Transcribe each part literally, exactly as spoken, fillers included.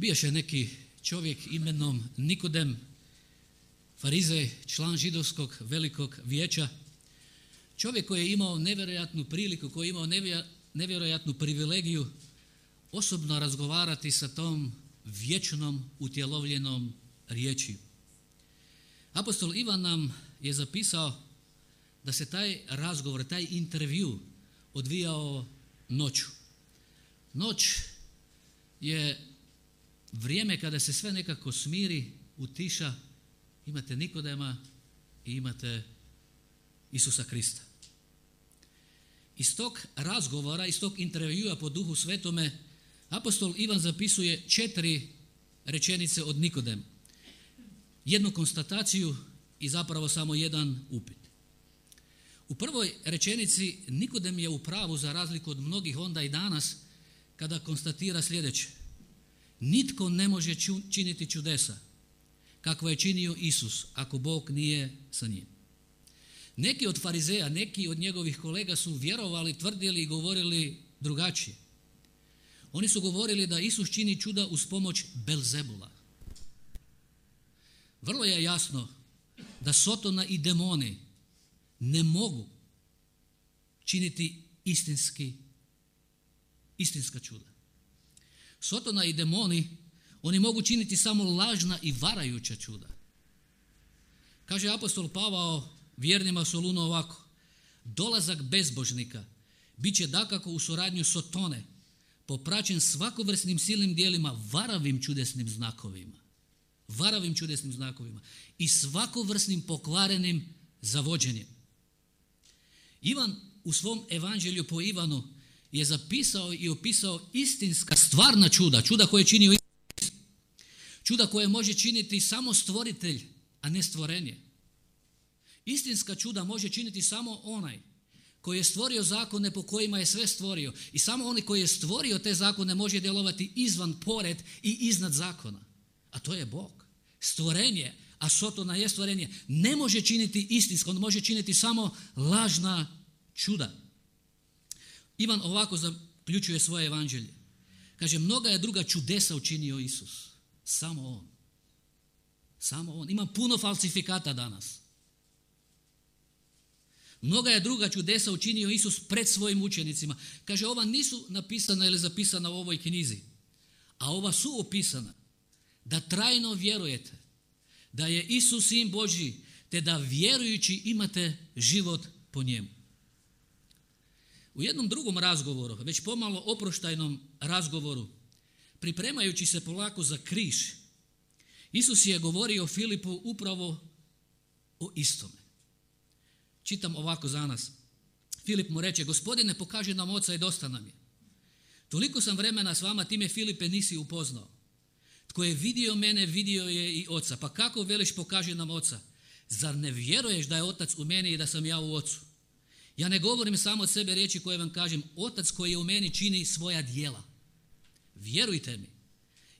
Bijaše neki čovjek imenom Nikodem, farizej, član židovskog velikog vijeća, čovjek koji je imao nevjerojatnu priliku, koji je imao nevjerojatnu privilegiju osobno razgovarati sa tom vječnom utjelovljenom riječi. Apostol Ivan nam je zapisao da se taj razgovor, taj intervju odvijao noću. Noć je vrijeme kada se sve nekako smiri, utiša, imate Nikodema i imate Isusa Krista. Iz tog razgovora, iz tog intervjua po Duhu Svetome, apostol Ivan zapisuje četiri rečenice od Nikodema. Jednu konstataciju i zapravo samo jedan upit. U prvoj rečenici Nikodem je u pravu za razliku od mnogih onda i danas kada konstatira sljedeće. Nitko ne može činiti čudesa kakva je činio Isus ako Bog nije sa njim. Neki od farizeja, neki od njegovih kolega su vjerovali, tvrdili i govorili drugačije. Oni su govorili da Isus čini čuda uz pomoć Belzebula. Vrlo je jasno da Sotona i demoni ne mogu činiti istinski, istinska čuda. Sotona i demoni, oni mogu činiti samo lažna i varajuća čuda. Kaže apostol Pavao vjernima Solunu ovako: dolazak bezbožnika bit će dakako u suradnju Sotone, popraćen svakovrsnim silnim dijelima, varavim čudesnim znakovima, varavim čudesnim znakovima i svakovrsnim pokvarenim zavođenjem. Ivan u svom evanđelju po Ivanu je zapisao i opisao istinska stvarna čuda, čuda koje čini Isus, čuda koje može činiti samo stvoritelj, a ne stvorenje. Istinska čuda može činiti samo onaj koji je stvorio zakone po kojima je sve stvorio i samo onaj koji je stvorio te zakone može djelovati izvan, pored i iznad zakona, a to je Bog. Stvorenje, a Sotona je stvorenje, ne može činiti istinsko, on može činiti samo lažna čuda. Ivan ovako zaključuje svoje evanđelje. Kaže, mnoga je druga čudesa učinio Isus. Samo on. Samo on. Ima puno falsifikata danas. Mnoga je druga čudesa učinio Isus pred svojim učenicima. Kaže, ova nisu napisana ili zapisana u ovoj knjizi, a ova su opisana da trajno vjerujete da je Isus Sin Božji, te da vjerujući imate život po njemu. U jednom drugom razgovoru, već pomalo oproštajnom razgovoru, pripremajući se polako za križ, Isus je govorio Filipu upravo o istome. Čitam ovako za nas. Filip mu reče, Gospodine, pokaži nam Oca i dosta nam je. Toliko sam vremena s vama, ti me, Filipe, nisi upoznao. Tko je vidio mene, vidio je i Oca. Pa kako veliš pokaži nam Oca? Zar ne vjeruješ da je Otac u meni i da sam ja u Ocu? Ja ne govorim samo od sebe riječi koje vam kažem. Otac koji je u meni čini svoja djela. Vjerujte mi.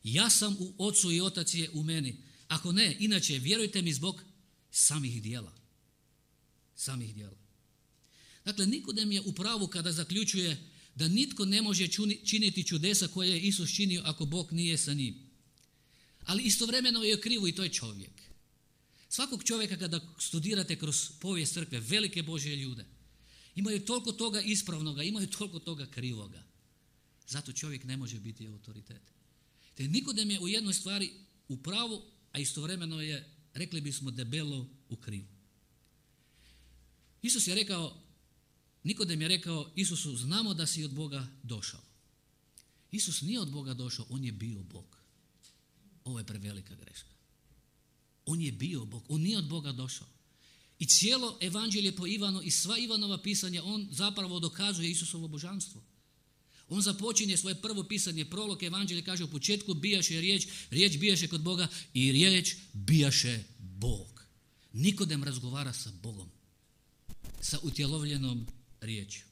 Ja sam u Ocu i Otac je u meni. Ako ne, inače, vjerujte mi zbog samih djela. Samih djela. Dakle, Nikodem je u pravu kada zaključuje da nitko ne može činiti čudesa koje je Isus činio ako Bog nije sa njim. Ali istovremeno je krivo i to je čovjek. Svakog čovjeka kada studirate kroz povijest crkve, velike Božje ljude, imaju toliko toga ispravnoga, imaju toliko toga krivoga. Zato čovjek ne može biti autoritet. Te Nikodem je u jednoj stvari u pravu, a istovremeno je, rekli bismo, debelo u krivu. Isus je rekao, Nikodem je rekao Isusu, znamo da si od Boga došao. Isus nije od Boga došao, on je bio Bog. Ovo je prevelika greška. On je bio Bog, on nije od Boga došao. I cijelo evanđelje po Ivanu i sva Ivanova pisanja, on zapravo dokazuje Isusovo božanstvo. On započinje svoje prvo pisanje, prolog evanđelje, kaže u početku bijaše riječ, riječ bijaše kod Boga i riječ bijaše Bog. Nikodem razgovara sa Bogom, sa utjelovljenom riječju.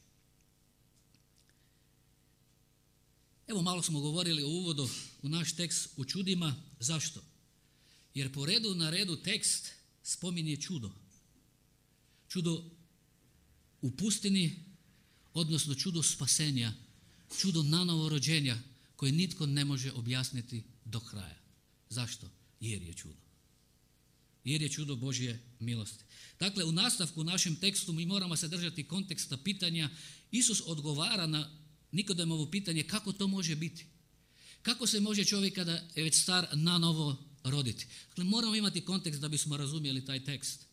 Evo malo smo govorili u uvodu u naš tekst u čudima. Zašto? Jer po redu na redu tekst spominje čudo. Čudo u pustini, odnosno čudo spasenja, čudo nanovo rođenja koje nitko ne može objasniti do kraja. Zašto? Jer je čudo. Jer je čudo Božje milosti. Dakle, u nastavku u našem tekstu mi moramo se držati konteksta pitanja. Isus odgovara na Nikodemovo pitanje kako to može biti. Kako se može čovjek kada je već star nanovo roditi? Dakle, moramo imati kontekst da bismo razumjeli taj tekst.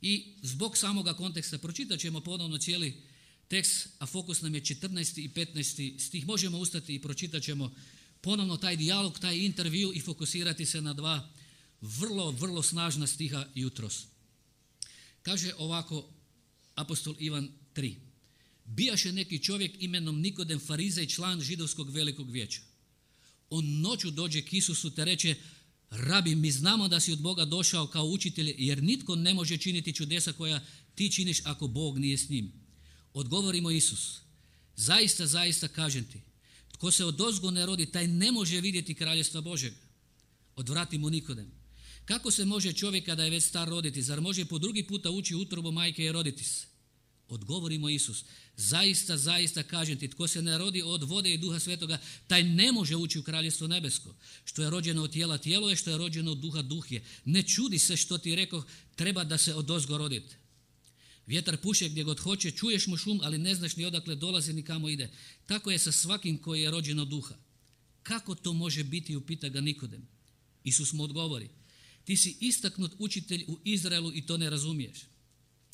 I zbog samoga konteksta pročitat ćemo ponovno cijeli tekst, a fokus nam je četrnaesti i petnaesti stih. Možemo ustati i pročitat ćemo ponovno taj dijalog, taj intervju i fokusirati se na dva vrlo, vrlo snažna stiha jutros. Kaže ovako apostol Ivan tri. Bijaše neki čovjek imenom Nikodem Farizej, član židovskog velikog vijeća. On noću dođe k Isusu te reče: Rabi, mi znamo da si od Boga došao kao učitelj, jer nitko ne može činiti čudesa koja ti činiš ako Bog nije s njim. Odgovori mu Isus: Zaista, zaista kažem ti, tko se odozgo ne rodi, taj ne može vidjeti kraljestva Božjega. Odvrati mu Nikodem: Kako se može čovjek kada je već star roditi? Zar može po drugi puta ući u utrobu majke i roditi se? Odgovori mu Isus: Zaista, zaista kažem ti, tko se ne rodi od vode i duha svetoga, taj ne može ući u kraljestvo nebesko. Što je rođeno od tijela, tijelo je, što je rođeno od duha, duh je. Ne čudi se što ti rekoh, treba da se odozgo rodite. Vjetar puše gdje god hoće, čuješ mu šum, ali ne znaš ni odakle dolazi ni kamo ide. Tako je sa svakim koji je rođen od duha. Kako to može biti, upita ga Nikodem. Isus mu odgovori: Ti si istaknut učitelj u Izraelu i to ne razumiješ.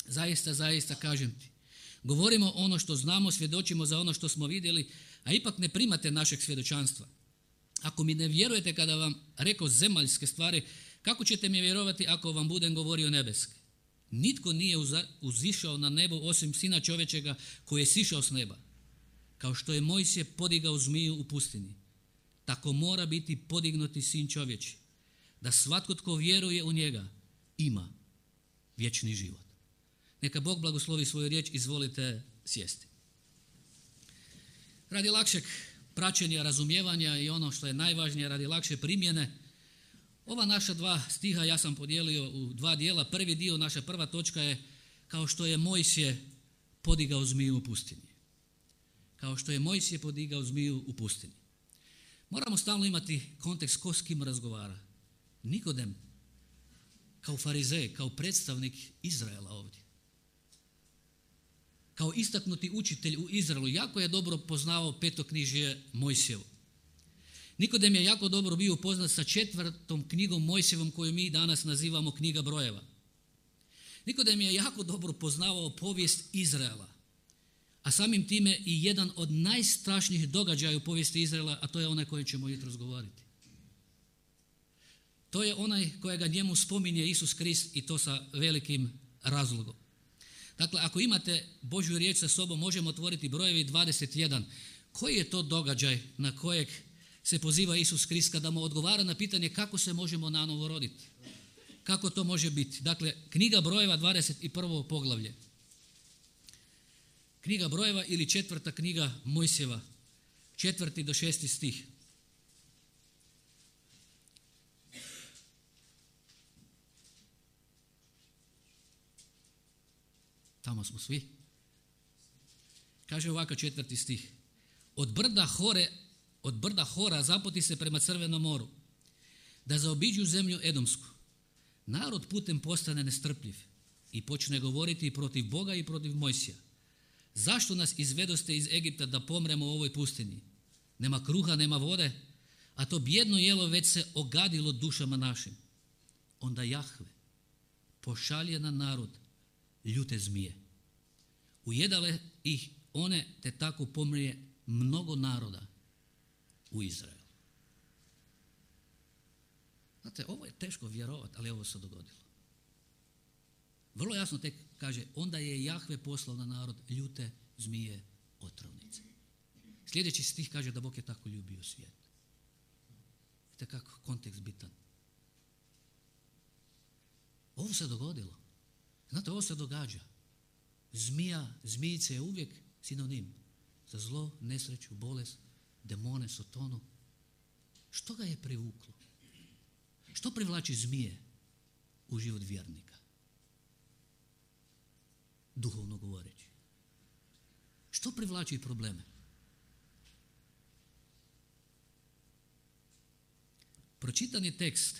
Zaista, zaista kažem ti, govorimo ono što znamo, svjedočimo za ono što smo vidjeli, a ipak ne primate našeg svjedočanstva. Ako mi ne vjerujete kada vam rekao zemaljske stvari, kako ćete mi vjerovati ako vam budem govorio nebeske? Nitko nije uzišao na nebo osim Sina čovječega koji je sišao s neba. Kao što je Mojsije podigao zmiju u pustinji, tako mora biti podignuti Sin čovječi, da svatko tko vjeruje u njega ima vječni život. Neka Bog blagoslovi svoju riječ, izvolite sjesti. Radi lakšeg praćenja, razumijevanja i ono što je najvažnije, radi lakše primjene, ova naša dva stiha ja sam podijelio u dva dijela. Prvi dio, naša prva točka je kao što je Mojsije podigao zmiju u pustinji. Kao što je Mojsije podigao zmiju u pustinji. Moramo stalno imati kontekst ko s kim razgovara. Nikodem kao farizej, kao predstavnik Izraela ovdje. Kao istaknuti učitelj u Izraelu, jako je dobro poznavao petoknjižje Mojsijevo. Nikodem je jako dobro bio upoznat sa četvrtom knjigom Mojsijevom koju mi danas nazivamo knjiga brojeva. Nikodem je jako dobro poznavao povijest Izraela, a samim time i jedan od najstrašnijih događaja u povijesti Izraela, a to je onaj koji ćemo jutros govoriti. To je onaj kojega njemu spominje Isus Krist i to sa velikim razlogom. Dakle, ako imate Božju riječ sa sobom, možemo otvoriti brojevi dvadeset jedan. Koji je to događaj na kojeg se poziva Isus Krist kada mu odgovara na pitanje kako se možemo nanovo roditi? Kako to može biti? Dakle, knjiga brojeva, dvadeset prvo poglavlje. Knjiga brojeva ili četvrta knjiga Mojsijeva, četvrti do šesti stih. Tamo smo svi. Kaže ovako četvrti stih. Od brda Hore, od brda Hora zapoti se prema Crvenom moru, da zaobiđu zemlju Edomsku. Narod putem postane nestrpljiv i počne govoriti protiv Boga i protiv Mojsija. Zašto nas izvedoste iz Egipta da pomremo u ovoj pustinji? Nema kruha, nema vode, a to bijedno jelo već se ogadilo dušama našim. Onda Jahve pošalje na narod ljute zmije. Ujedale ih one, te tako pomrije mnogo naroda u Izraelu. Znate, ovo je teško vjerovati, ali ovo se dogodilo. Vrlo jasno tek kaže, onda je Jahve poslao na narod ljute zmije otrovnice. Sljedeći stih kaže da Bog je tako ljubio svijet. Vidite kako kontekst bitan. Ovo se dogodilo. Znate, ovo se događa. Zmija, zmijice je uvijek sinonim za zlo, nesreću, bolest, demone, sotonu. Što ga je privuklo? Što privlači zmije u život vjernika? Duhovno govoreći. Što privlači probleme? pročitani tekst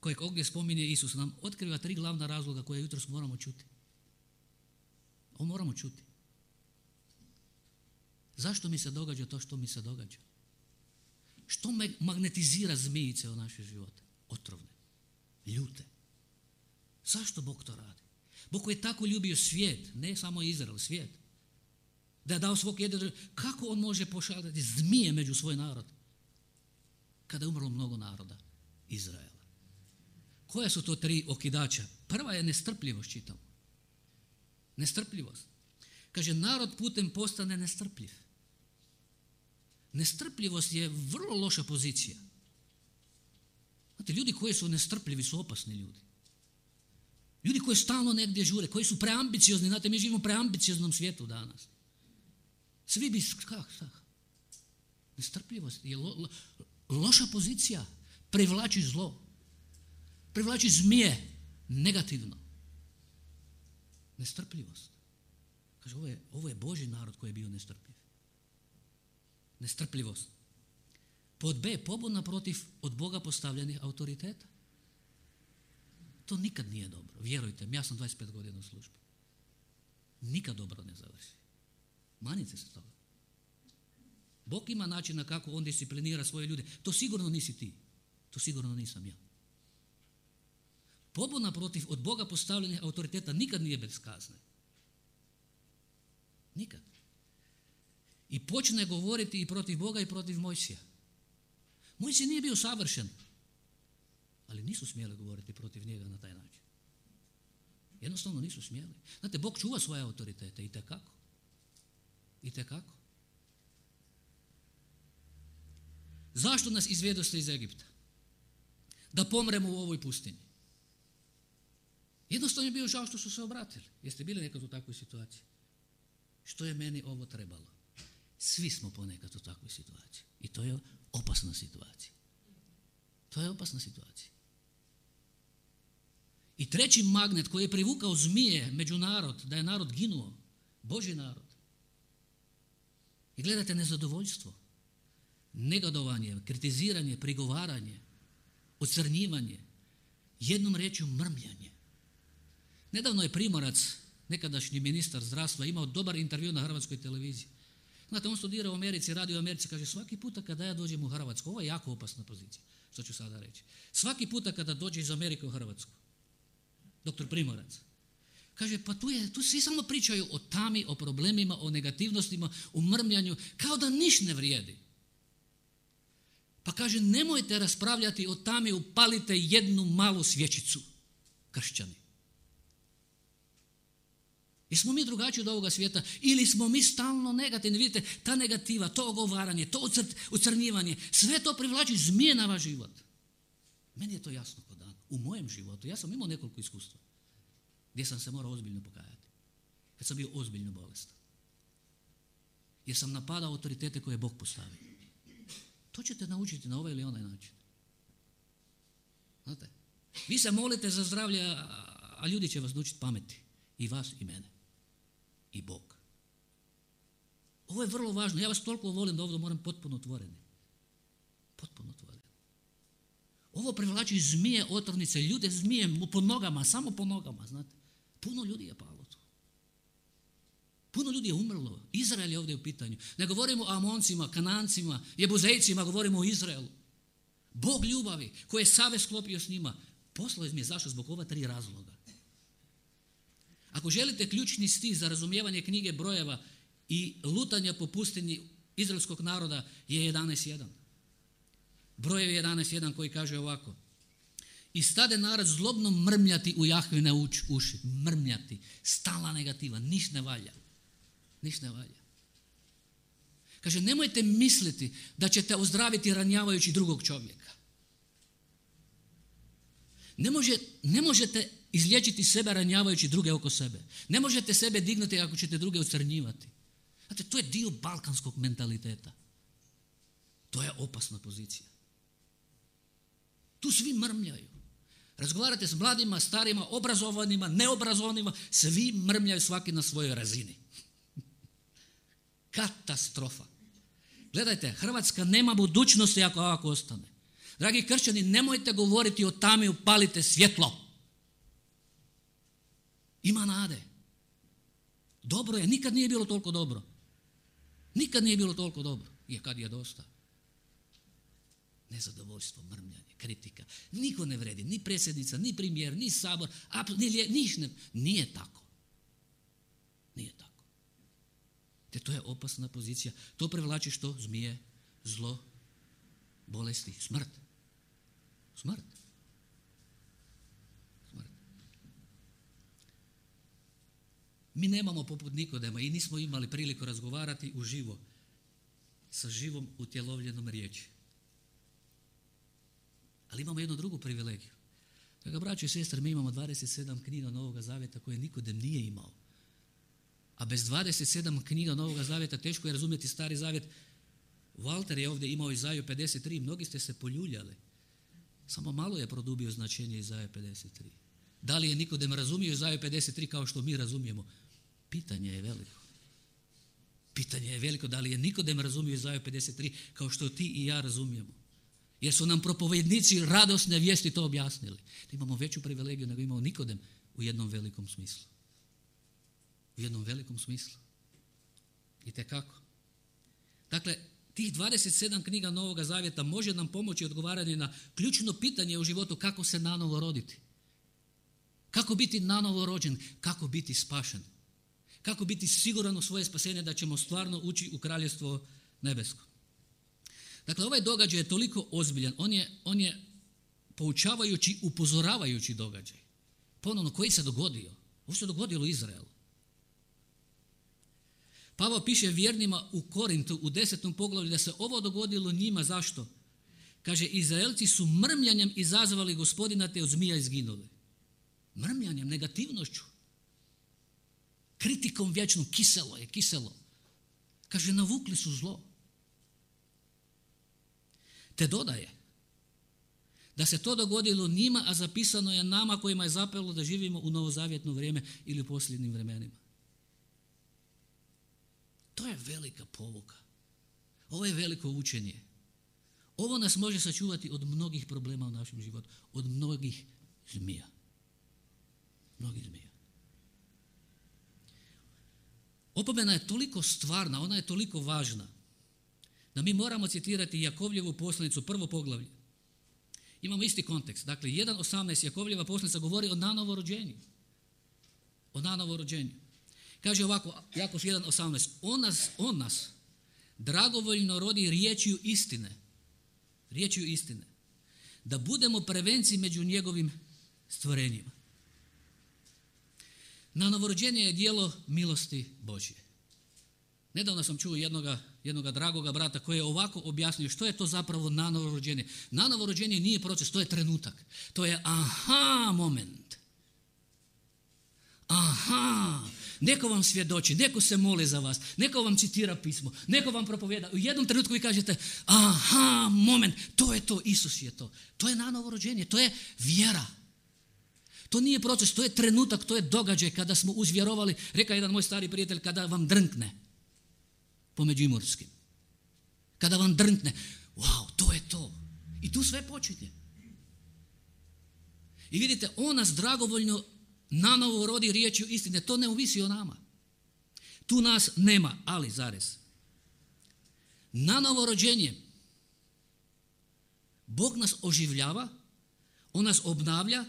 kojeg ovdje spominje Isus nam otkriva tri glavna razloga koje jutros moramo čuti. Ovo moramo čuti. Zašto mi se događa to što mi se događa? Što me magnetizira zmijice u naše živote? Otrovne, ljute. Zašto Bog to radi? Bog koji je tako ljubio svijet, ne samo Izrael, svijet, da je dao svog jedinog, kako on može pošaljati zmije među svoj narod kada je umrlo mnogo naroda Izraela? Koja su to tri okidača? Prva je nestrpljivost, čitamo. Nestrpljivost. Kaže, narod putem postane nestrpljiv. Nestrpljivost je vrlo loša pozicija. Znate, ljudi koji su nestrpljivi su opasni ljudi. Ljudi koji stalno negdje žure, koji su preambiciozni. Znate, mi živimo u preambicioznom svijetu danas. Svi bi, kako, kako? Nestrpljivost je lo, lo, loša pozicija. Privlači zlo. Privlači zmije. Negativno. Nestrpljivost. Kaže, ovo je, ovo je Božji narod koji je bio nestrpljiv. Nestrpljivost. Pod B, pobuna protiv od Boga postavljenih autoriteta. To nikad nije dobro. Vjerujte mi, ja sam dvadeset pet godina u službi. Nikad dobro ne završi. Manite se toga. Bog ima načina kako on disciplinira svoje ljude. To sigurno nisi ti. To sigurno nisam ja. Pobuna protiv od Boga postavljenih autoriteta nikad nije bez kazne. Nikad. I počne govoriti i protiv Boga i protiv Mojsija. Mojsije nije bio savršen, ali nisu smjeli govoriti protiv njega na taj način. Jednostavno nisu smjeli. Znate, Bog čuva svoje autoritete i tekako. I tekako. Zašto nas izvedoste iz Egipta? Da pomremo u ovoj pustinji. Jednostavno je bio žao što su se obratili. Jeste bili nekad u takvoj situaciji? Što je meni ovo trebalo? Svi smo ponekad u takvoj situaciji. I to je opasna situacija. To je opasna situacija. I treći magnet koji je privukao zmije među narod, da je narod ginuo, Božji narod. I gledajte, nezadovoljstvo, negodovanje, kritiziranje, prigovaranje, ocrnjivanje, jednom riječju mrmljanje. Nedavno je Primorac, nekadašnji ministar zdravstva, imao dobar intervju na hrvatskoj televiziji. Znate, on studira u Americi, radi u Americi, kaže, svaki puta kada ja dođem u Hrvatsku, ovo je jako opasna pozicija, što ću sada reći. Svaki puta kada dođe iz Amerike u Hrvatsku, doktor Primorac, kaže, pa tu, je, tu svi samo pričaju o tami, o problemima, o negativnostima, o mrmljanju, kao da niš ne vrijedi. Pa kaže, nemojte raspravljati o tami, upalite jednu malu svječicu, kršćani. Jesmo mi drugačiji od ovoga svijeta ili smo mi stalno negativni? Vidite, ta negativa, to ogovaranje, to ucrnjivanje, sve to privlači zmije na vaš život. Meni je to jasno kod dan. U mojem životu, ja sam imao nekoliko iskustva gdje sam se morao ozbiljno pokajati. Kad sam bio ozbiljno bolestan. Jer sam napadao autoritete koje je Bog postavio. To ćete naučiti na ovaj ili onaj način. Znate, vi se molite za zdravlje, a ljudi će vas naučiti pameti. I vas i mene. I Bog. Ovo je vrlo važno. Ja vas toliko volim da ovdje moram potpuno otvoreni. Potpuno otvoreni. Ovo privlači zmije, otrovnice, ljude zmije po nogama, samo po nogama, znate. Puno ljudi je palo tu. Puno ljudi je umrlo. Izrael je ovdje u pitanju. Ne govorimo o Amoncima, Kanancima, Jebuzejcima, govorimo o Izraelu. Bog ljubavi koji je savez sklopio s njima. Poslao mi je zašto? Zbog ova tri razloga. Ako želite ključni stih za razumijevanje knjige brojeva i lutanja po pustinji izraelskog naroda je jedanaest jedan. Brojev jedanaest jedan koji kaže ovako. I stade narod zlobno mrmljati u Jahvine uši. Mrmljati. Stalna negativa. Niš ne valja. Niš ne valja. Kaže, nemojte misliti da ćete ozdraviti ranjavajući drugog čovjeka. Ne, može, ne možete izliječiti sebe ranjavajući druge oko sebe. Ne možete sebe dignuti ako ćete druge ocrnjivati. Znate, to je dio balkanskog mentaliteta. To je opasna pozicija. Tu svi mrmljaju. Razgovarate s mladima, starima, obrazovanima, neobrazovanima, svi mrmljaju svaki na svojoj razini. Katastrofa. Gledajte, Hrvatska nema budućnosti ako ovako ostane. Dragi kršćani, nemojte govoriti o tami, upalite svjetlo. Ima nade. Dobro je, nikad nije bilo toliko dobro. Nikad nije bilo toliko dobro. Je kad je dosta. Nezadovoljstvo, mrmljanje, kritika. Niko ne vredi, ni predsjednica, ni premijer, ni sabor, ni lije, niš ne. Nije tako. Nije tako. Te to je opasna pozicija. To privlači što? Zmije, zlo, bolesti, smrt. Smrt. Smrt. Mi nemamo poput Nikodema i nismo imali priliku razgovarati uživo sa živom utjelovljenom riječi. Ali imamo jednu drugu privilegiju. Dakle, braćo i sestre, mi imamo dvadeset sedam knjiga Novoga Zavjeta koje Nikodem nije imao. A bez dvadeset sedam knjiga Novoga Zavjeta teško je razumjeti Stari Zavjet. Walter je ovdje imao Izaju pedeset tri, mnogi ste se poljuljali. Samo malo je produbio značenje Izaje pedeset tri. Da li je Nikodem razumio Izaju pedeset tri kao što mi razumijemo? Pitanje je veliko. Pitanje je veliko da li je Nikodem razumio Izaju pedeset tri kao što ti i ja razumijemo. Jer su nam propovednici radosne vijesti to objasnili. Da imamo veću privilegiju nego imao Nikodem u jednom velikom smislu. U jednom velikom smislu. I tekako. Dakle, tih dvadeset sedam knjiga Novoga Zavjeta može nam pomoći odgovaranje na ključno pitanje u životu kako se nanovo roditi. Kako biti nanovo rođen, kako biti spašen. Kako biti siguran u svoje spasenje da ćemo stvarno ući u kraljevstvo nebesko. Dakle, ovaj događaj je toliko ozbiljan, on je, on je poučavajući, upozoravajući događaj. Ponovno, koji se dogodio? Ovo se dogodilo u Izraelu. Pavao piše vjernima u Korintu u desetom poglavlju da se ovo dogodilo njima. Zašto? Kaže, Izraelci su mrmljanjem izazvali Gospodina te od zmija izginuli. Mrmljanjem, negativnošću. Kritikom vječnom, kiselo je, kiselo. Kaže, navukli su zlo. Te dodaje da se to dogodilo njima, a zapisano je nama kojima je zapelo da živimo u novozavjetno vrijeme ili u posljednjim vremenima. To je velika pouka. Ovo je veliko učenje. Ovo nas može sačuvati od mnogih problema u našem životu, od mnogih zmija. Mnogih zmija. Opomena je toliko stvarna, ona je toliko važna, da mi moramo citirati Jakovljevu poslanicu, prvo poglavlje. Imamo isti kontekst. Dakle, jedan osamnaest Jakovljeva poslanica govori o nanovorođenju. O nanovorođenju. Kaže ovako, Jakov jedan osamnaest. On nas, on nas dragovoljno rodi riječju istine. Riječju istine. Da budemo prvenci među njegovim stvorenjima. Nanovorođenje je djelo milosti Božje. Nedavno sam čuo jednoga, jednoga dragoga brata koji je ovako objasnio što je to zapravo nanovorođenje. Nanovorođenje nije proces, to je trenutak. To je aha moment. Aha, neko vam svjedoči, neko se moli za vas, neko vam citira pismo, neko vam propovjeda. U jednom trenutku vi kažete aha moment, to je to, Isus je to. To je nanovorođenje, to je vjera. To nije proces, to je trenutak, to je događaj kada smo uzvjerovali, reka jedan moj stari prijatelj, kada vam drnkne po međimurskim. Kada vam drnkne, wow, to je to. I tu sve počinje. I vidite, on nas dragovoljno nanovo rodi riječju istine. To ne ovisi o nama. Tu nas nema, ali zarez. Nanovo rođenje. Bog nas oživljava, on nas obnavlja,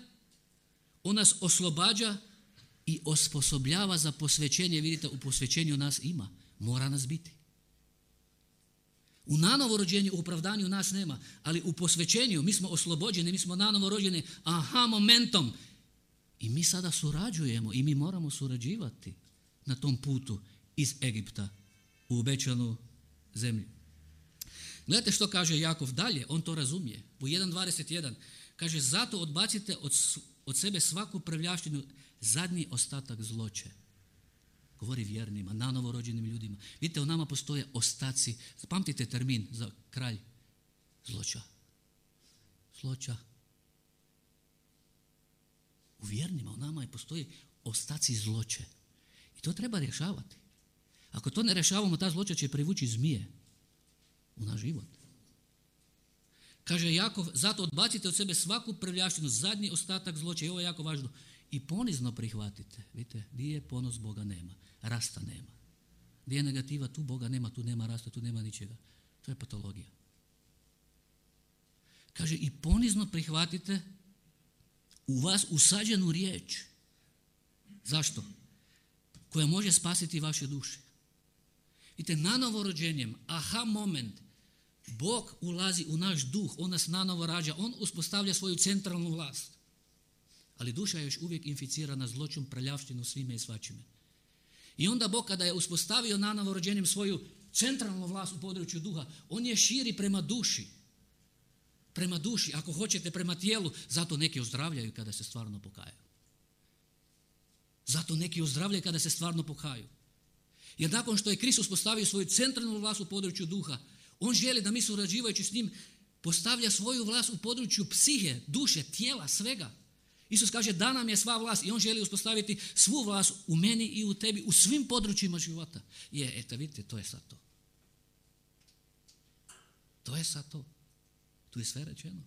on nas oslobađa i osposobljava za posvećenje. Vidite, u posvećenju nas ima. Mora nas biti. U nanovorođenju, u opravdanju nas nema, ali u posvećenju mi smo oslobođeni, mi smo nanovorođeni aha momentom. I mi sada surađujemo i mi moramo surađivati na tom putu iz Egipta u obećanu zemlju. Gledajte što kaže Jakov dalje, on to razumije. U jedan dvadeset jedan kaže, zato odbacite od, od sebe svaku prljavštinu, zadnji ostatak zloće. Govori vjernima, nanovorođenim ljudima. Vidite, u nama postoje ostaci. Zapamtite termin za kralj. Zloća. Zloća. U vjernima, u nama je postoji ostaci zloće. I to treba rješavati. Ako to ne rješavamo, ta zloća će privući zmije u naš život. Kaže Jakov, zato odbacite od sebe svaku prljavštinu, zadnji ostatak zloće, i ovo je jako važno, i ponizno prihvatite. Vidite, gdje je ponos, Boga nema, rasta nema. Gdje je negativa, tu Boga nema, tu nema rasta, tu nema ničega. To je patologija. Kaže, i ponizno prihvatite u vas usađenu riječ. Zašto? Koja može spasiti vaše duše. Vidite, nanovo rođenjem, aha moment, Bog ulazi u naš duh, on nas nanovo rađa, on uspostavlja svoju centralnu vlast. Ali duša je još uvijek inficirana zloćom, prljavštinom, svime i svačime. I onda Bog kada je uspostavio nanovo rođenjem svoju centralnu vlast u području duha, on je širi prema duši. Prema duši, ako hoćete prema tijelu, zato neki ozdravljaju kada se stvarno pokaju. Zato neki ozdravljaju kada se stvarno pokaju. Jer nakon što je Kristus postavio svoju centralnu vlast u području duha, on želi da mi surađivajući s njim postavlja svoju vlast u području psihe, duše, tijela, svega. Isus kaže da nam je sva vlast i on želi uspostaviti svu vlast u meni i u tebi, u svim područjima života. Je, eto vidite, to je sad to. To je sad to. Tu je sve rečeno.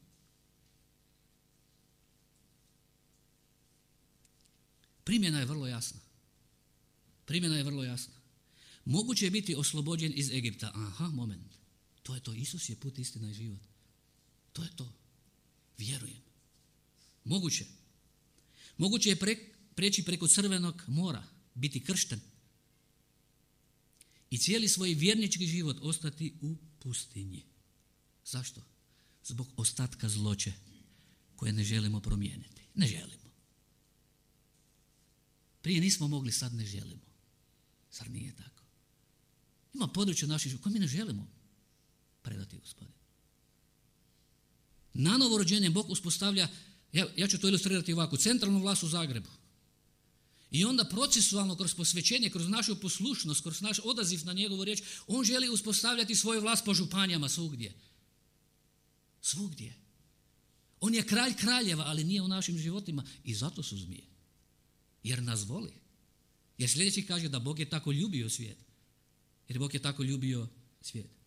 Primjena je vrlo jasna. Primjena je vrlo jasna. Moguće je biti oslobođen iz Egipta. Aha, moment. To je to. Isus je put, istina i život. To je to. Vjerujem. Moguće. Moguće je pre, preći preko Crvenog mora, biti kršten i cijeli svoj vjernički život ostati u pustinji. Zašto? Zbog ostatka zloće koje ne želimo promijeniti. Ne želimo. Prije nismo mogli, sad ne želimo. Zar nije tako? Ima područje naših života koje mi ne želimo predati Gospodinu. Nanovo rođenje Bog uspostavlja, ja, ja ću to ilustrirati ovako, centralnu vlast u Zagrebu. I onda procesualno, kroz posvećenje, kroz našu poslušnost, kroz naš odaziv na njegovu riječ, on želi uspostavljati svoju vlast po županijama svugdje. Svugdje. On je kralj kraljeva, ali nije u našim životima i zato su zmije. Jer nas voli. Jer sljedeći kaže da Bog je tako ljubio svijet. Jer Bog je tako ljubio svijet.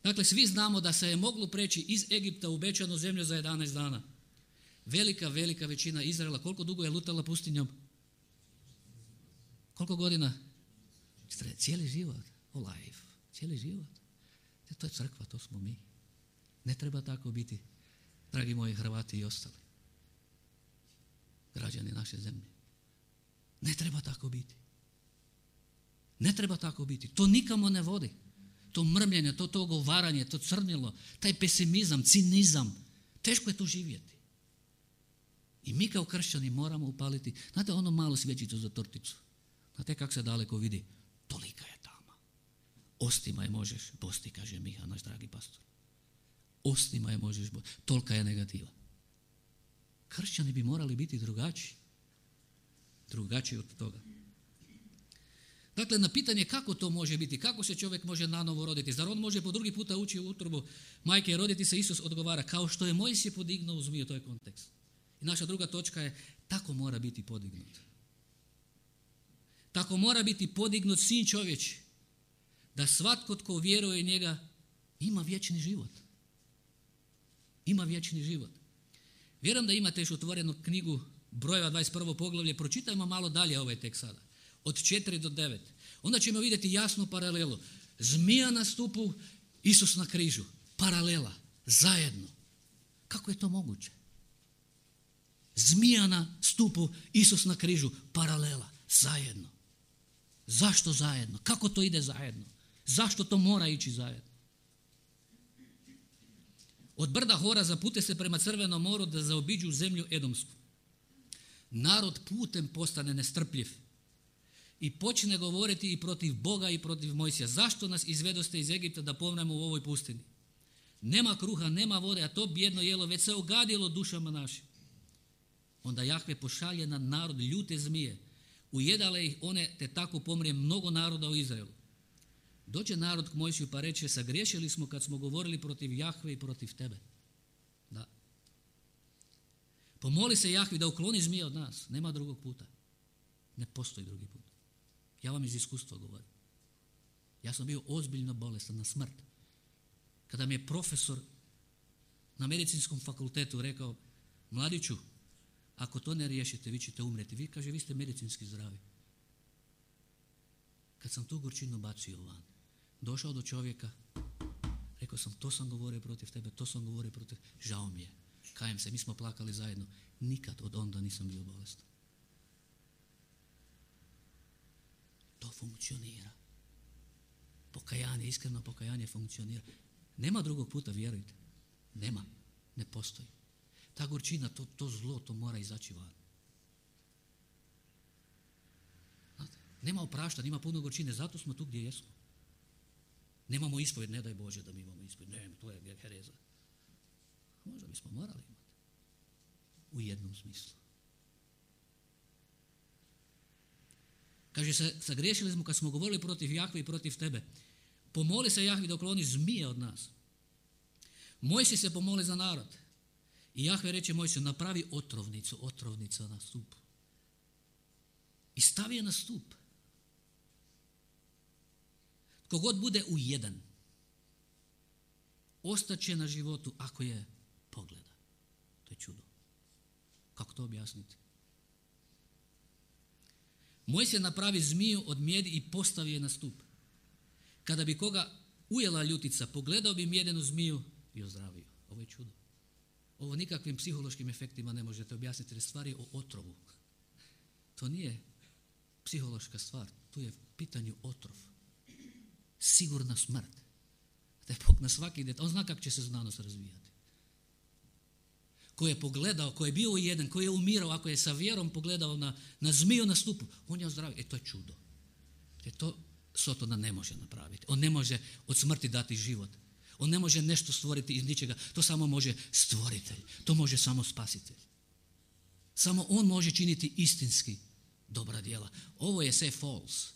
Dakle, svi znamo da se je moglo preći iz Egipta u obećanu zemlju za jedanaest dana. Velika, velika većina Izraela, koliko dugo je lutala pustinjom? Koliko godina? Cijeli život. Oh, life. Cijeli život. To je crkva, to smo mi. Ne treba tako biti, dragi moji Hrvati i ostali. Građani naše zemlje. Ne treba tako biti. Ne treba tako biti. To nikamo ne vodi. To mrmljenje, to, to ogovaranje, to crnilo, taj pesimizam, cinizam. Teško je tu živjeti. I mi kao kršćani moramo upaliti, znate, ono malo svjećicu za torticu. Znate kako se daleko vidi? Tolika je tama. Ostima je možeš bosti, kaže Miha, naš dragi pastor. Ostima je možeš bosti. Tolika je negativa. Kršćani bi morali biti drugačiji. Drugačiji od toga. Dakle, na pitanje kako to može biti, kako se čovjek može nanovo roditi, zar on može po drugi puta ući u utrobu majke i roditi se, Isus odgovara, kao što je Mojsije podignuo u zmiju, to je kontekst. I naša druga točka je, tako mora biti podignut. Tako mora biti podignut sin čovječi, da svatko tko vjeruje njega ima vječni život. Ima vječni život. Vjerujem da imate još otvorenu knjigu Brojeva dvadeset prvo poglavlje, pročitajmo malo dalje ovaj tekst sada. Od četiri do devet. Onda ćemo vidjeti jasnu paralelu. Zmija na stupu, Isus na križu. Paralela. Zajedno. Kako je to moguće? Zmija na stupu, Isus na križu. Paralela. Zajedno. Zašto zajedno? Kako to ide zajedno? Zašto to mora ići zajedno? Od brda Hora zapute se prema Crvenom moru da zaobiđu zemlju Edomsku. Narod putem postane nestrpljiv i počne govoriti i protiv Boga i protiv Mojsija. Zašto nas izvedoste iz Egipta da pomremo u ovoj pustini? Nema kruha, nema vode, a to bijedno jelo već se ogadilo dušama našim. Onda Jahve pošalje na narod ljute zmije. Ujedale ih one, te tako pomrije mnogo naroda u Izraelu. Dođe narod k Mojsiju pa reče, sagriješili smo kad smo govorili protiv Jahve i protiv tebe. Da. Pomoli se Jahvi da ukloni zmije od nas. Nema drugog puta. Ne postoji drugi put. Ja vam iz iskustva govorim. Ja sam bio ozbiljno bolestan na smrt. Kada mi je profesor na medicinskom fakultetu rekao, mladiću, ako to ne riješite, vi ćete umreti. Vi, kaže, vi ste medicinski zdravi. Kad sam tu gorčinu bacio van, došao do čovjeka, rekao sam, to sam govorio protiv tebe, to sam govorio protiv tebe, žao mi je, kajem se, mi smo plakali zajedno. Nikad od onda nisam bio bolestan. To funkcionira. Pokajanje, iskreno pokajanje funkcionira. Nema drugog puta, vjerujte. Nema, ne postoji. Ta gorčina, to, to zlo, to mora izaći van. Znate, nema opraštanja, ima puno gorčine, zato smo tu gdje jesmo. Nemamo ispovjed, ne daj Bože da mi imamo ispovjed. Ne, to je hereza. Možda bismo morali imati. U jednom smislu. Kaže se, sagriješili smo kad smo govorili protiv Jahve i protiv tebe. Pomoli se Jahvi da ukloni zmije od nas. Mojsi se pomoli za narod. I Jahve reče Mojsiju, napravi otrovnicu, otrovnica na stup. I stavi je na stup. Kogod bude u jedan, ostaće na životu ako je pogleda. To je čudo. Kako to objasniti? Mojsije napravi zmiju od mjedi i postavi je na stup. Kada bi koga ujela ljutica, pogledao bi mjedenu zmiju i ozdravio. Ovo je čudo. Ovo nikakvim psihološkim efektima ne možete objasniti, jer stvar je o otrovu. To nije psihološka stvar, tu je pitanje otrov. Sigurna smrt. Da je Bog na svaki detalj, on zna kako će se znanost razvijati. Ko je pogledao, ko je bio jedan, ko je umirao, ako je sa vjerom pogledao na, na zmiju na stupu, on je ozdravio. E to je čudo. E to Sotona ne može napraviti. On ne može od smrti dati život. On ne može nešto stvoriti iz ničega. To samo može stvoritelj. To može samo spasitelj. Samo on može činiti istinski dobra djela. Ovo je sve false.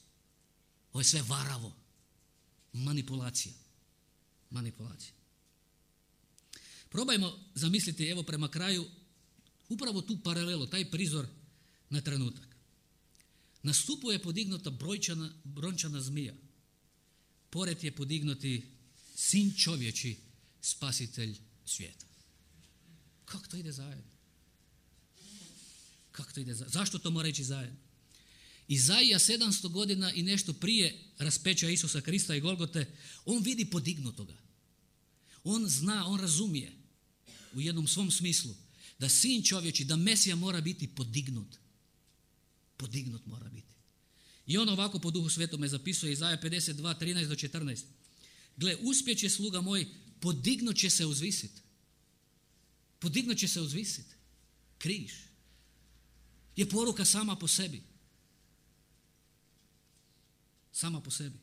Ovo je sve varavo. Manipulacija. Manipulacija. Probajmo zamisliti, evo prema kraju, upravo tu paralelu, taj prizor na trenutak. Na stupu je podignuta brojčana, brončana zmija. Pored je podignuti sin čovječi, spasitelj svijeta. Kako to ide zajedno? Kako to ide zajedno? Zašto to mora ići zajedno? Izaija sedamsto godina i nešto prije raspeća Isusa Krista i Golgote, on vidi podignutoga. On zna, on razumije u jednom svom smislu da sin čovječi, da Mesija mora biti podignut. Podignut mora biti. I on ovako po Duhu Svetome zapisuje Izaija pedeset dva, trinaest do četrnaest. Gle, uspjeće sluga moj, podignut će se uzvisit. Podignut će se uzvisit. Križ je poruka sama po sebi. Sama po sebi.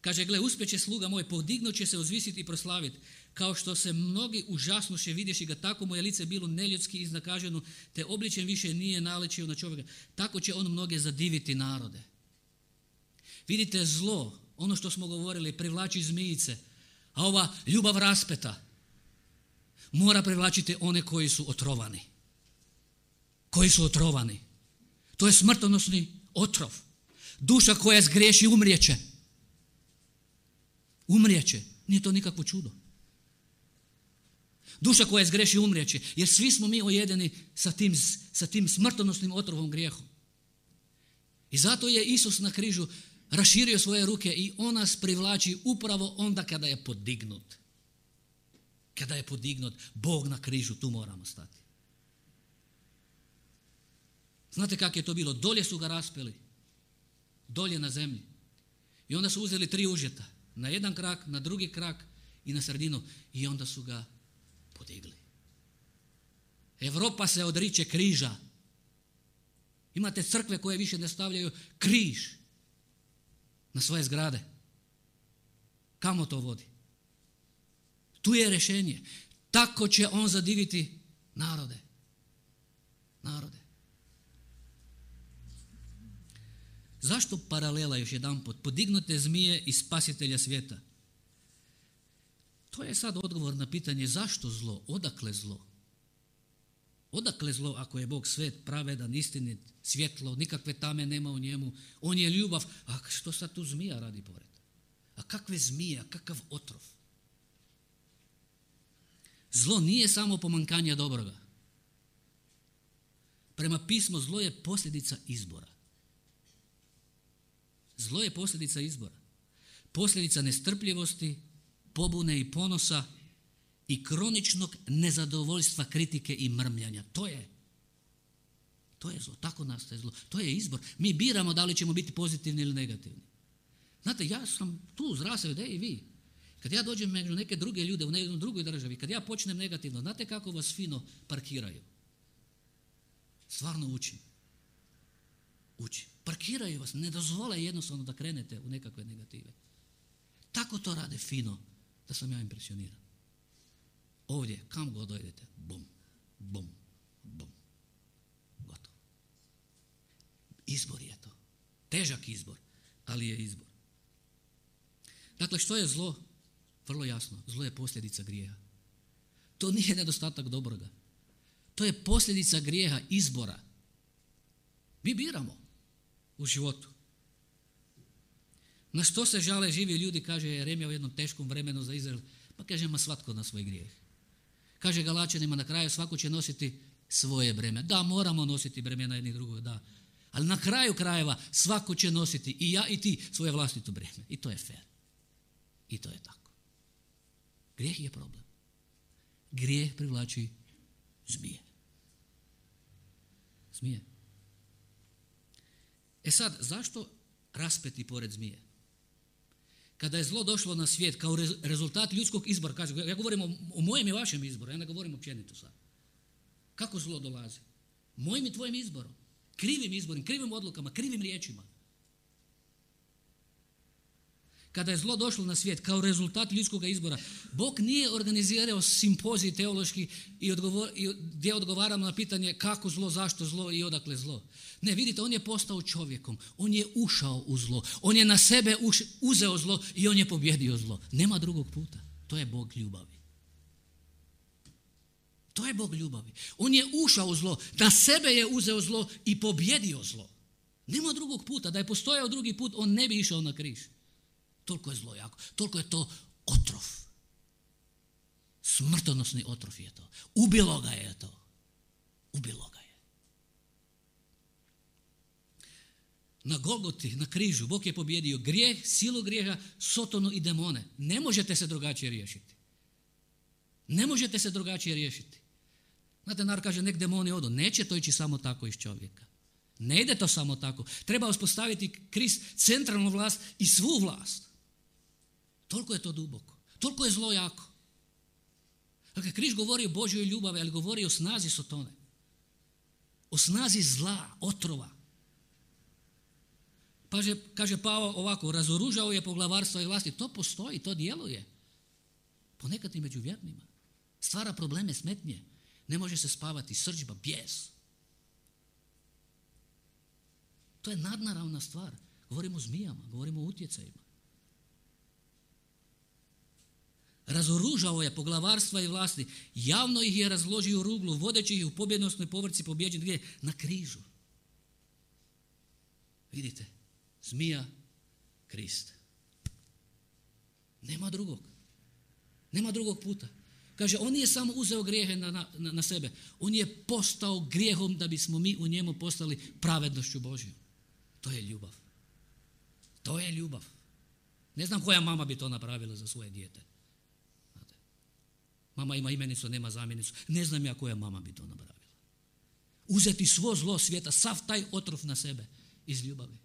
Kaže, gle, uspjeće sluga moj, podignut će se uzvisiti i proslaviti. Kao što se mnogi užasnuše vidješi ga, tako mu je lice bilo neljudski iznakaženo, te obličen više nije naličio na čovjeka. Tako će on mnoge zadiviti narode. Vidite, zlo, ono što smo govorili, privlači zmijice, a ova ljubav raspeta mora privlačiti one koji su otrovani. Koji su otrovani. To je smrtonosni otrov. Duša koja zgriješi umrijeće. Umrijeće. Nije to nikakvo čudo. Duša koja zgriješi umrijeće. Jer svi smo mi ojedeni sa tim, sa tim smrtonosnim otrovom grijehom. I zato je Isus na križu raširio svoje ruke i on nas privlači upravo onda kada je podignut. Kada je podignut Bog na križu, tu moramo stati. Znate kako je to bilo? Dolje su ga raspeli. Dolje na zemlji. I onda su uzeli tri užeta. Na jedan krak, na drugi krak i na sredinu. I onda su ga podigli. Europa se odriče križa. Imate crkve koje više ne stavljaju križ na svoje zgrade. Kamo to vodi? Tu je rješenje. Tako će on zadiviti narode. Narode. Zašto paralela još jedanput? Podignute zmije i spasitelja svijeta. To je sad odgovor na pitanje zašto zlo, odakle zlo? Odakle zlo ako je Bog svet, pravedan, istinit, svjetlo, nikakve tame nema u njemu, on je ljubav, a što sad tu zmija radi pored? A kakve zmije, a kakav otrov? Zlo nije samo pomankanje dobroga. Prema pismu zlo je posljedica izbora. Zlo je posljedica izbora. Posljedica nestrpljivosti, pobune i ponosa i kroničnog nezadovoljstva, kritike i mrmljanja. To je. To je zlo. Tako nastaje zlo. To je izbor. Mi biramo da li ćemo biti pozitivni ili negativni. Znate, ja sam tu zrasao, da i vi. Kad ja dođem među neke druge ljude u nekoj drugoj državi, kad ja počnem negativno, znate kako vas fino parkiraju? Stvarno učim. Učim. Parkiraju vas, ne dozvole jednostavno da krenete u nekakve negative. Tako to rade fino, da sam ja impresioniran. Ovdje, kam god dojdete, bum, bum, bum. Gotovo. Izbor je to. Težak izbor, ali je izbor. Dakle, što je zlo? Vrlo jasno, zlo je posljedica grijeha. To nije nedostatak dobroga. To je posljedica grijeha, izbora. Mi biramo u životu. Na što se žale živi ljudi, kaže Jeremija u jednom teškom vremenu za Izrael, pa kaže, ma svatko na svoj grijeh. Kaže Galačanima na kraju, svako će nositi svoje breme. Da, moramo nositi bremena jednih drugog, da. Ali na kraju krajeva svako će nositi, i ja i ti, svoje vlastito breme. I to je fair. I to je tako. Grijeh je problem. Grijeh privlači zmije. Zmije. E sad, zašto raspeti pored zmije? Kada je zlo došlo na svijet kao rezultat ljudskog izbora, kaže, ja govorim o, o mojem i vašem izboru, ja ne govorim općenito sad. Kako zlo dolazi? Mojim i tvojim izborom. Krivim izborom, krivim odlukama, krivim riječima. Kada je zlo došlo na svijet kao rezultat ljudskog izbora, Bog nije organizirao simpozij teološki i, odgovor, i gdje odgovaramo na pitanje kako zlo, zašto zlo i odakle zlo. Ne, vidite, on je postao čovjekom, on je ušao u zlo, on je na sebe uš, uzeo zlo i on je pobjedio zlo. Nema drugog puta. To je Bog ljubavi. To je Bog ljubavi. On je ušao u zlo, na sebe je uzeo zlo i pobjedio zlo. Nema drugog puta. Da je postojao drugi put, on ne bi išao na križ. Toliko je zlo jako. Toliko je to otrov. Smrtonosni otrov je to. Ubilo ga je to. Ubilo ga je. Na Golgoti, na križu, Bog je pobjedio grijeh, silu grijeha, Sotonu i demone. Ne možete se drugačije riješiti. Ne možete se drugačije riješiti. Znate, narod kaže, nek demoni odu. Neće to ići samo tako iz čovjeka. Ne ide to samo tako. Treba uspostaviti Krist centralnu vlast i svu vlast. Toliko je to duboko. Toliko je zlo jako. Dakle, križ govori o Božjoj ljubavi, ali govori o snazi Sotone. O snazi zla, otrova. Kaže, kaže Pavao ovako, razoružao je poglavarstvo i vlasti. To postoji, to djeluje. Ponekad i među vjernima. Stvara probleme, smetnje. Ne može se spavati, srdžba, bijes. To je nadnaravna stvar. Govorimo o zmijama, govorimo o utjecajima. Razoružao je poglavarstva i vlasti. Javno ih je razložio u ruglu, vodeći ih u pobjednosnoj povrci pobjeđen gdje? Na križu. Vidite, zmija, Krist. Nema drugog. Nema drugog puta. Kaže, on nije samo uzeo grijehe na, na, na sebe. On je postao grijehom da bismo mi u njemu postali pravednošću Božjom. To je ljubav. To je ljubav. Ne znam koja mama bi to napravila za svoje dijete. Znate, mama ima imenicu, nema zamjenicu. Ne znam ja koja mama bi to napravila. Uzeti svo zlo svijeta, sav taj otrov na sebe iz ljubavi.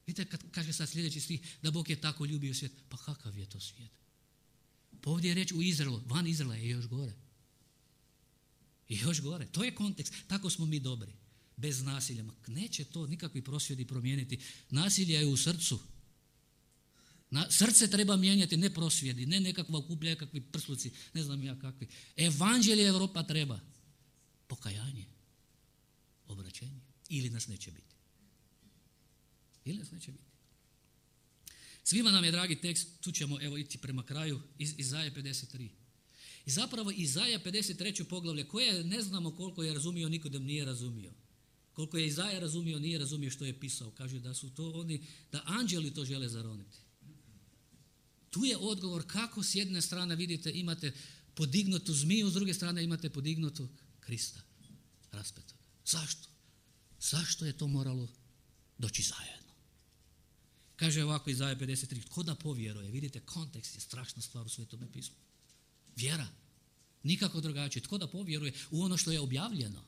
Vidite kad kaže sad sljedeći stih da Bog je tako ljubio svijet. Pa kakav je to svijet? Pa ovdje je reč u Izraelu, van Izraela je još gore. I još gore. To je kontekst. Tako smo mi dobri. Bez nasilja. Neće to nikakvi prosvjedi promijeniti. Nasilje je u srcu. Na, srce treba mijenjati, ne prosvjedi, ne nekakva okuplja, kakvi prsluci, ne znam ja kakvi. Evanđelje Europa treba. Pokajanje. Obraćenje. Ili nas neće biti. Ili nas neće biti. Svima nam je dragi tekst, tu ćemo evo ići prema kraju, iz Izaje pedeset tri. I zapravo Izaja pedeset treće poglavlje, koje ne znamo koliko je razumio, Nikodem nije razumio. Koliko je Izaja razumio, nije razumio što je pisao. Kaže da su to oni, da anđeli to žele zaroniti. Tu je odgovor kako s jedne strane vidite imate podignutu zmiju, s druge strane imate podignutu Krista raspetog. Zašto? Zašto je to moralo doći zajedno? Kaže ovako Izaja pedeset tri, tko da povjeruje? Vidite, kontekst je strašna stvar u Svetome pismu. Vjera. Nikako drugačije. Tko da povjeruje u ono što je objavljeno?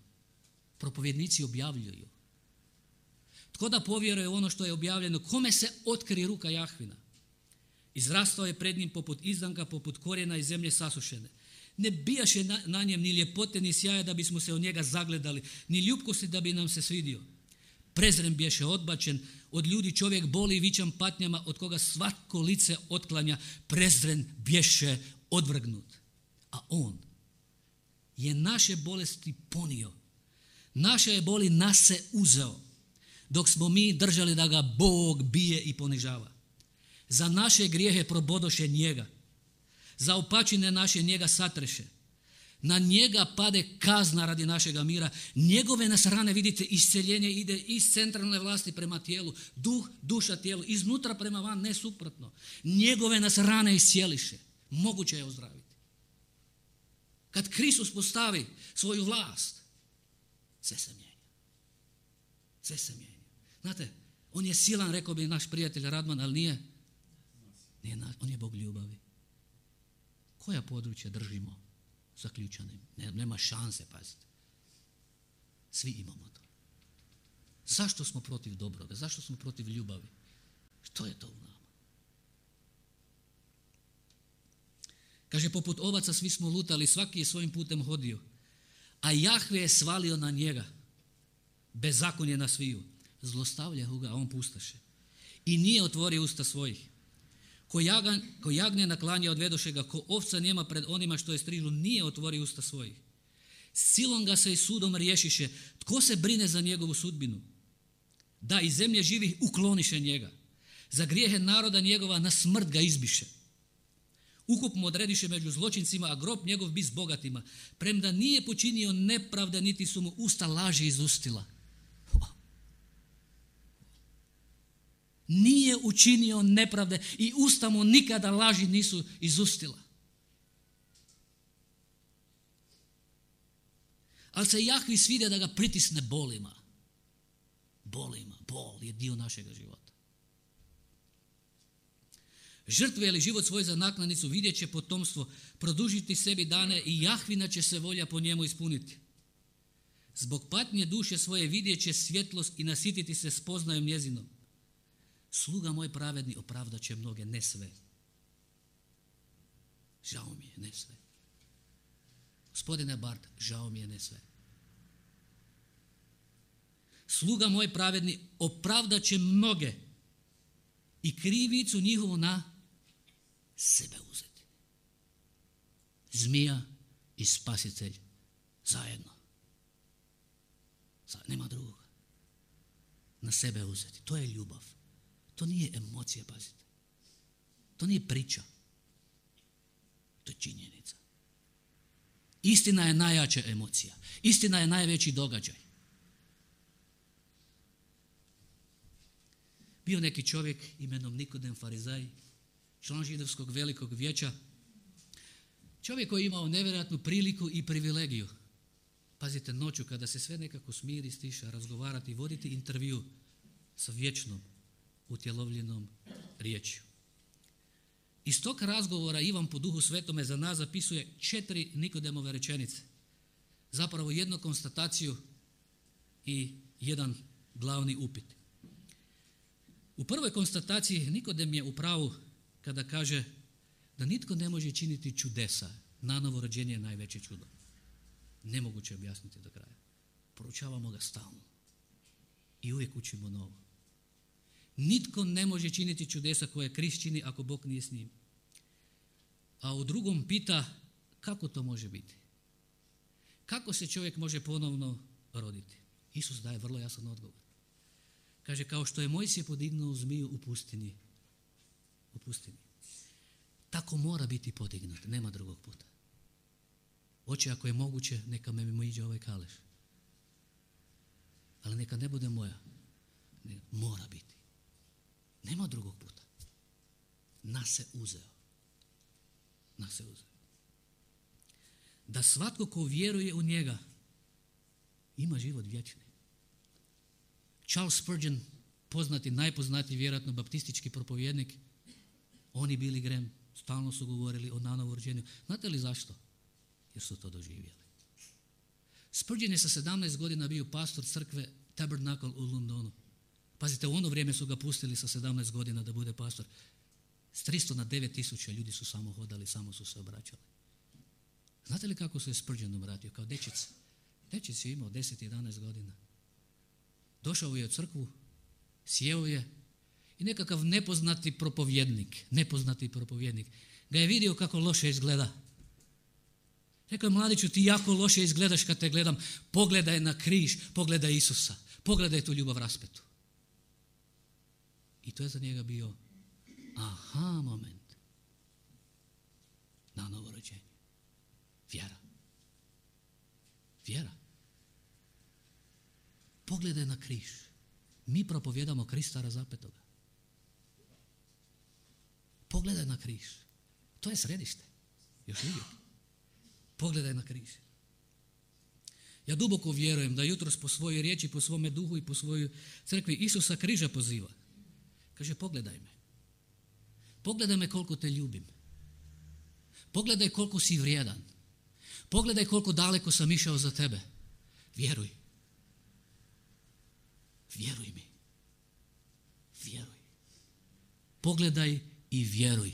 Propovjednici objavljuju. Tko da povjeruje u ono što je objavljeno? Kome se otkri ruka Jahvina? Izrastao je pred njim poput izdanka, poput korijena iz zemlje sasušene. Ne bijaše na, na njem ni ljepote, ni sjaja da bismo se od njega zagledali, ni ljubkosti da bi nam se svidio. Prezren bješe odbačen, od ljudi čovjek boli i vičan patnjama, od koga svatko lice otklanja, prezren bješe odvrgnut. A on je naše bolesti ponio, naše je boli nas se uzeo, dok smo mi držali da ga Bog bije i ponižava. Za naše grijehe probodoše njega, za opačine naše njega satreše. Na njega pade kazna radi našega mira. Njegove nas rane, vidite, isceljenje ide iz centralne vlasti prema tijelu. Duh, duša, tijelu, iznutra prema van, ne suprotno. Njegove nas rane iscijeliše. Moguće je ozdraviti. Kad Kristus postavi svoju vlast, sve se mijenja. Sve se mijenja. Znate, on je silan, rekao bi naš prijatelj Radman, ali nije. nije on je Bog ljubavi. Koja područja držimo zaključanim? Ne, nema šanse, pazite. Svi imamo to. Zašto smo protiv dobroga? Zašto smo protiv ljubavi? Što je to u nama? Kaže, poput ovaca svi smo lutali, svaki je svojim putem hodio, a Jahve je svalio na njega. Bezakonje na sviju. Zlostavlja ga, a on pustaše. I nije otvorio usta svojih. Ko, jagan, ko jagnje naklanja odvedoše ga, ko ovca njema pred onima što je strižu, nije otvorio usta svojih. Silom ga se i sudom riješiše. Tko se brine za njegovu sudbinu? Da, iz zemlje živih ukloniše njega. Za grijehe naroda njegova na smrt ga izbiše. Ukup mu odrediše među zločincima, a grob njegov bi s bogatima. Premda nije počinio nepravde, niti su mu usta laži izustila. Nije učinio nepravde i usta mu nikada laži nisu izustila. Ali se Jahvi sviđa da ga pritisne bolima. Bolima, bol je dio našega života. Žrtve li život svoj za naknadnicu, vidjet će potomstvo, produžiti sebi dane i Jahvina će se volja po njemu ispuniti. Zbog patnje duše svoje vidjet će svjetlost i nasititi se spoznajom njezinom. Sluga moj pravedni opravdat će mnoge, ne sve. Žao mi je, ne sve. Gospodine Bart, žao mi je, ne sve. Sluga moj pravedni opravdat će mnoge i krivicu njihovu na sebe uzeti. Zmija i spasitelj zajedno. Nema drugoga. Na sebe uzeti. To je ljubav. To nije emocija, pazite. To nije priča. To je činjenica. Istina je najjača emocija. Istina je najveći događaj. Bio neki čovjek imenom Nikodem Farizaj, član židovskog velikog vijeća. Čovjek koji je imao nevjerojatnu priliku i privilegiju. Pazite, noću kada se sve nekako smiri, stiša, razgovarati, voditi intervju sa vječnom utjelovljenom riječju. Iz tog razgovora Ivan po Duhu Svetome za nas zapisuje četiri Nikodemove rečenice. Zapravo jednu konstataciju i jedan glavni upit. U prvoj konstataciji Nikodem je u pravu kada kaže da nitko ne može činiti čudesa. Nanovo rođenje je najveće čudo. Nemoguće objasniti do kraja. Proučavamo ga stalno. I uvijek učimo novo. Nitko ne može činiti čudesa koje Krist čini ako Bog nije s njim. A u drugom pita kako to može biti? Kako se čovjek može ponovno roditi? Isus daje vrlo jasan odgovor. Kaže, kao što je Mojsije podignuo zmiju u pustinji, u pustinji, tako mora biti podignut, nema drugog puta. Oče, ako je moguće, neka me mimo iđe ovaj kaleš. Ali neka ne bude moja. Ne, mora biti. Nema drugog puta. Nas se uzeo. Nas se uzeo. da svatko ko vjeruje u njega ima život vječni. Charles Spurgeon, poznati, najpoznatiji vjerojatno baptistički propovjednik, on i Billy Graham stalno su govorili o nanovo rođenju. Znate li zašto? Jer su to doživjeli. Spurgeon je sa sedamnaest godina bio pastor crkve Tabernacle u Londonu. Pazite, u ono vrijeme su ga pustili sa sedamnaest godina da bude pastor. S tristo na devet tisuća ljudi su samo hodali, samo su se obraćali. Znate li kako se Spurgeon obratio? Kao dečic. Dečic je imao deset jedanaest godina. Došao je u crkvu, sjeo je i nekakav nepoznati propovjednik, nepoznati propovjednik, ga je vidio kako loše izgleda. Rekao je, mladiću, ti jako loše izgledaš kad te gledam. Pogledaj na križ, pogledaj Isusa, pogledaj tu ljubav raspetu. I to je za njega bio aha moment na novo rođenje. Vjera. Vjera. Pogledaj na križ. Mi propovjedamo Krista razapetoga. Pogledaj na križ. To je središte. Još uvijek. Pogledaj na križ. Ja duboko vjerujem da jutros po svojoj riječi, po svome duhu i po svojoj crkvi Isusa križa poziva. Kaže, pogledaj me. Pogledaj me koliko te ljubim. Pogledaj koliko si vrijedan. Pogledaj koliko daleko sam išao za tebe. Vjeruj. Vjeruj mi. Vjeruj. Pogledaj i vjeruj.